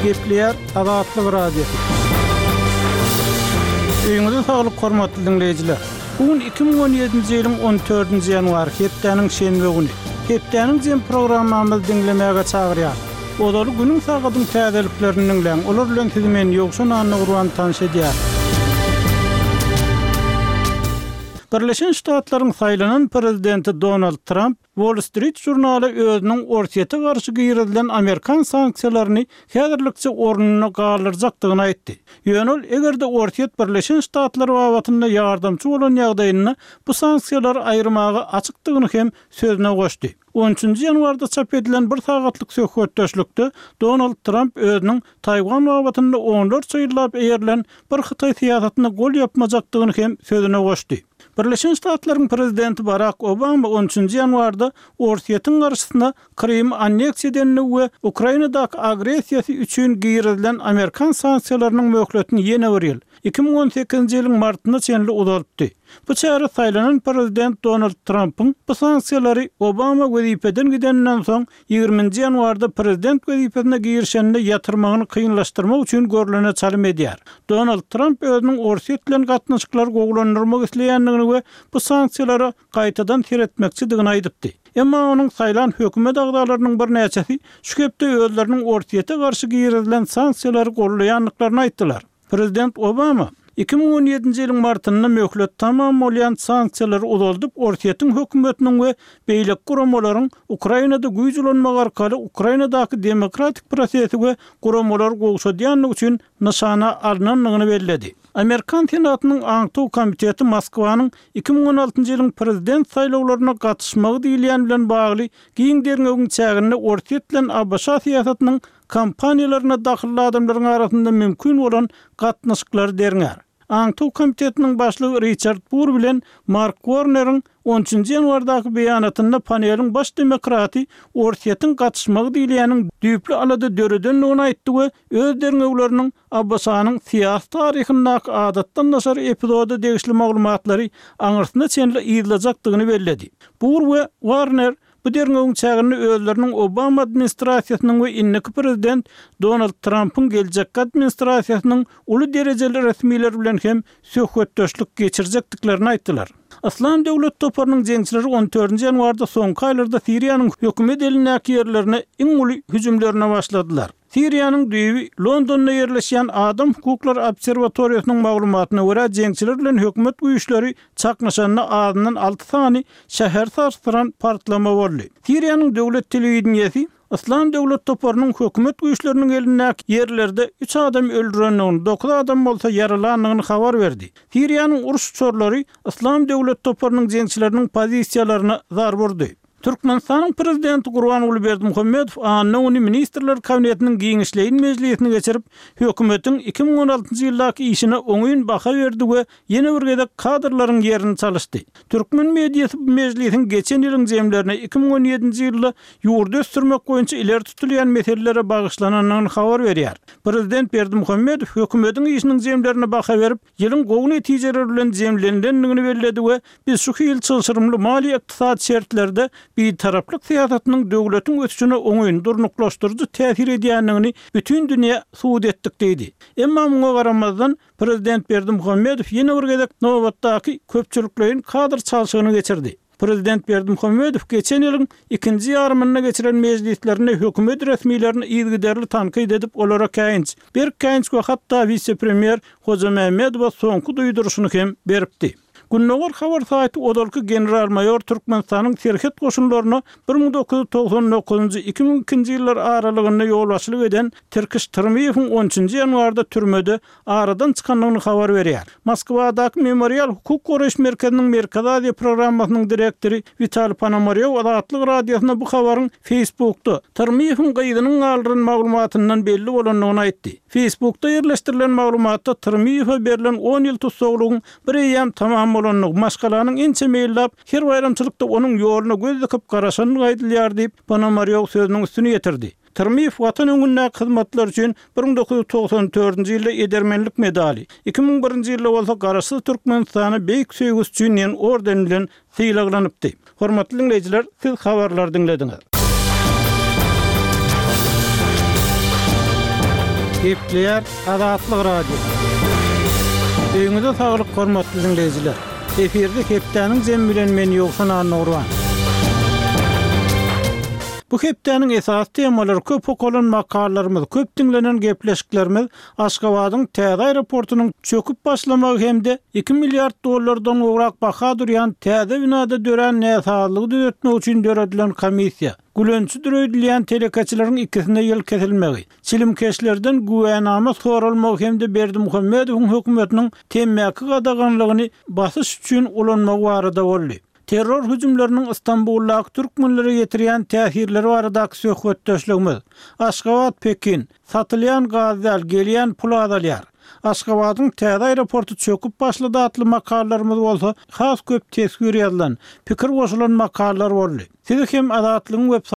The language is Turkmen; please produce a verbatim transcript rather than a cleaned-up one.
Gepleýär Azatlyk Radiosy. Öýüňize saglyk hormatly diňleýjiler. Bu gün iki müň on ýedinji ýylyň on dördünji ýanwary, hepdäniň şenbe güni. Hepdäniň jem programmamyzy diňlemäge çagyrýar. Ozaly günüň sagadyň täzeliklerini diňläň. Olar bilen sizi men Ýowşan Annagurban tanyş edýär. Birleşen Ştatlaryň saýlanan prezidenti Donald Tramp Wall Street žurnaly özüniň Orsýete garşy girizilen amerikan sanksiýalaryny häzirlikçe ornunda galdyrjakdygyny aýtdy. Ýöne ol eger-de Orsýet Birleşen Ştatlar babatynda ýardamçy bolan ýagdaýynda bu sanksiýalary aýyrmaga açykdygyny hem sözüne goşdy. On üçünji ýanwarda çap edilen bir sagatlyk söhbetdeşlikde Donald Tramp özüniň Taýwan babatynda onlarça ýyllap eýerilen bir Hytaý syýasatyna gol ýapmajakdygyny hem sözüne goşdy. Birleşen Ştatlaryň prezidenti Barak Obama on üçünji ýanwarda Orsýetiň garşysyna Krymy anneksiýa edenligi we Ukrainadaky agressiýasy üçin girizilen amerikan sanksiýalarynyň möhletini ýene bir ýyl, iki müň on sekizinji ýylyň martyna çenli uzaltdy. Bu çäre saýlanan prezident Donald Trampyň bu sanksiýalary Obama wezipeden gideninden soň ýigriminji ýanwarda prezident wezipesine girişeninde ýatyrmagyny kynlaşdyrmak üçin görlene çalym edýär. Donald Tramp özüniň Orsýet bilen gatnaşyklary gowulandyrmak isleýändigini we bu sanksiýalara gaýtadan seretmekçidigini aýdypdy. Emma onuň saýlan hökümet agzalarynyň birnäçesi şu hepde özleriniň Orsýete garşy girizilen sanksiýalary gollaýandyklaryny aýtdylar. Prezident Obama iki müň on ýedinji ýylyň martynda möhlet tamam bolýan sanksiýalary uzaldyp, Orsýetiň hökümetiniň we beýleki guramalaryň Ukrainada güýç ulanmak arkaly Ukrainadaky demokratik prosesi we guramalary gowşadýandygy üçin nyşana alnandygyny belledi. Amerikan Senatynyň Aňtaw komiteti Moskwanyň iki müň on altynjy ýylyň prezident saýlawlaryna gatyşmagy diýilýän bilen bagly giň derňewiň çäginde Orsýet bilen A B Ş syýasatynyň kampaniýalaryna dahylly adamlaryň arasynda mümkin bolan gatnaşyklary derňär. Aňtaw komitetiniň başlygy Riçard Bur bilen Mark Warneriň on üçünji ýanwardaky beýanatynda paneliň baş demokraty Orsýetiň gatyşmagy diýilýäniň düýpli alada döredendigini aýtdy we öz derňewleriniň A B Ş-nyň syýasy taryhyndaky adatdan daşary epizoda degişli maglumatlary aňyrsyna çenli yzlajakdygyny belledi. Bur we Warner bu derňewiň çäginde özleriniň Obama administrasiýasynyň we indiki prezident Donald Trumpyň geljekki administrasiýasynyň uly derejeli resmiler bilen hem söhbetdeşlik geçirjekdiklerini aýtdylar. Yslam döwlet toparynyň jeňçileri on dördünji ýanwarda soňky aýlarda Siriýanyň hökümet elindäki ýerlerine iň uly hüjümlerine başladylar. Siriýanyň düýbi Londonda ýerleşýän Adam Hukuklary Obserwatoriýasynyň maglumatyna görä jeňçiler bilen hökümet güýçleri çaknyşanda azyndan alty sany şäher sarsdyran partlama boldy. Siriýanyň döwlet telewideniýesi Yslam döwlet toparynyň hökümet güýçleriniň elindäki ýerlerde üç adam öldürendigini, dokuz adam bolsa ýaralandygyny habar berdi. Siriýanyň uruş uçarlary Yslam döwlet toparynyň jeňçileriniň pozisiýalaryna zarba urdy. Türkmenistanyň prezidenti Gurbanguly Berdimuhamedow anna güni Ministrler Kabinetiniň giňişleýin mejlisini geçirip, hökümetiň iki müň on altynjy ýyldaky işine oňyn baha berdi we ýene bir gezek kadrlaryň ýerini çalyşdy. Türkmen mediasy bu mejlisiň geçen ýylyň jemlerine iki müň on ýedinji ýylda ýurdy ösdürmek boýunça ileri tutulýan meselelere bagyşlanandygyny habar berýär. Prezident Berdimuhamedow hökümetiň işiniň jemlerine baha berip, ýylyň gowy netijeleri bilen jemlenilendigini belledi we biz şu hil çylşyrymly maliýe ykdysady şertlerde bitaraplyk syýasatynyň döwletiň ösüşine oňyn durnuklaşdyryjy täsir edýändigini bütün dünýä subut etdik diýdi. Emma muňa garamazdan prezident Berdimuhamedow ýene bir gezek nobatdaky köpçülikleýin kadr çalşygyny geçirdi. Prezident Berdimuhamedow geçen ýylyň ikinji ýarymynda geçiren mejlislerinde hökümet resmilerini yzygiderli tankyt edip, olara käýinç, berk käýinç we hatda wise-premýer Hoja Mehmedowa soňky duýduryşyny hem beripdi. Gündogar habar saýty ozalky general-maýor Türkmenistanyň serhet goşunlaryna bir müň dokuz ýüz togsan dokuzynjy iki müň ikinji ýyllar aralygynda ýolbaşçylyk eden Tirkiş Tyrmyýewiň on üçünji ýanwarda türmede aradan çykandygyny habar berýär. Moskwadaky Memorial hukuk goraýyş merkeziniň Merkezi Aziýa programmasynyň direktory Witaliý Ponomarýow Azatlyk Radiosyna bu habaryň Facebookda Tyrmyýewiň gyzynyň galdyran maglumatyndan belli bolandygyny aýtdy. Facebookda ýerleşdirilen maglumatda Tyrmyýewe berlen on ýyl tussaglygyň bir eýýäm tamam bolandygy, maşgalanyň ençe meýillap her baýramçylykda onuň ýoluna göz dikip garaşandygy aýdylýar diýip, Ponomarýow sözüniň üstüni ýetirdi. Tyrmyýew watan öňündäki hyzmatlar üçin bir müň dokuz ýüz togsan dördünji ýylda edermenlik medaly, iki müň birinji ýylda bolsa Garaşsyz Türkmenistana beýik söýgüsi üçin diýen orden bilen sylaglanypdy. Hormatly diňleýjiler, siz habarlary diňlediňiz. Gepleýär Azatlyk Radiosy. Öýüňize saglyk hormatly diňleýjiler. Efirde hepdäniň jemi bilen men Ýowşan Annagurban. Bu hepdäniň esasy temalary köp okalan makalalarymyz, köp diňlenen gepleşiklerimiz Aşgabadyň täze aeroportunyň çöküp başlamagy hem-de iki milliard dollardan gowrak baha durýan täze binada dörän näsazlygy düzetmek üçin döredilen komissiýa, gülençidir öýdülýän telekeçileriň ikisine ýyl kesilmegi, çilimkeşlerden güwänama soralmagy hem-de Berdimuhamedowyň hökümetiniň temmäki gadaganlygyny basyş üçin ulanmagy barada boldy. Terror hüjümleriniň Stambuldaky türkmenlere ýetirýän täsirleri baradaky söhbetdeşligimiz, Aşgabat, Pekin, satylýan gaz däl, gelýän pul azalýar. Aşgabadyň täze aeroporty çöküp başlady atly makalalarymyz bolsa has köp teswir ýazylan, pikir goşulan makalalar boldy. Sizi hem Azatlygyň web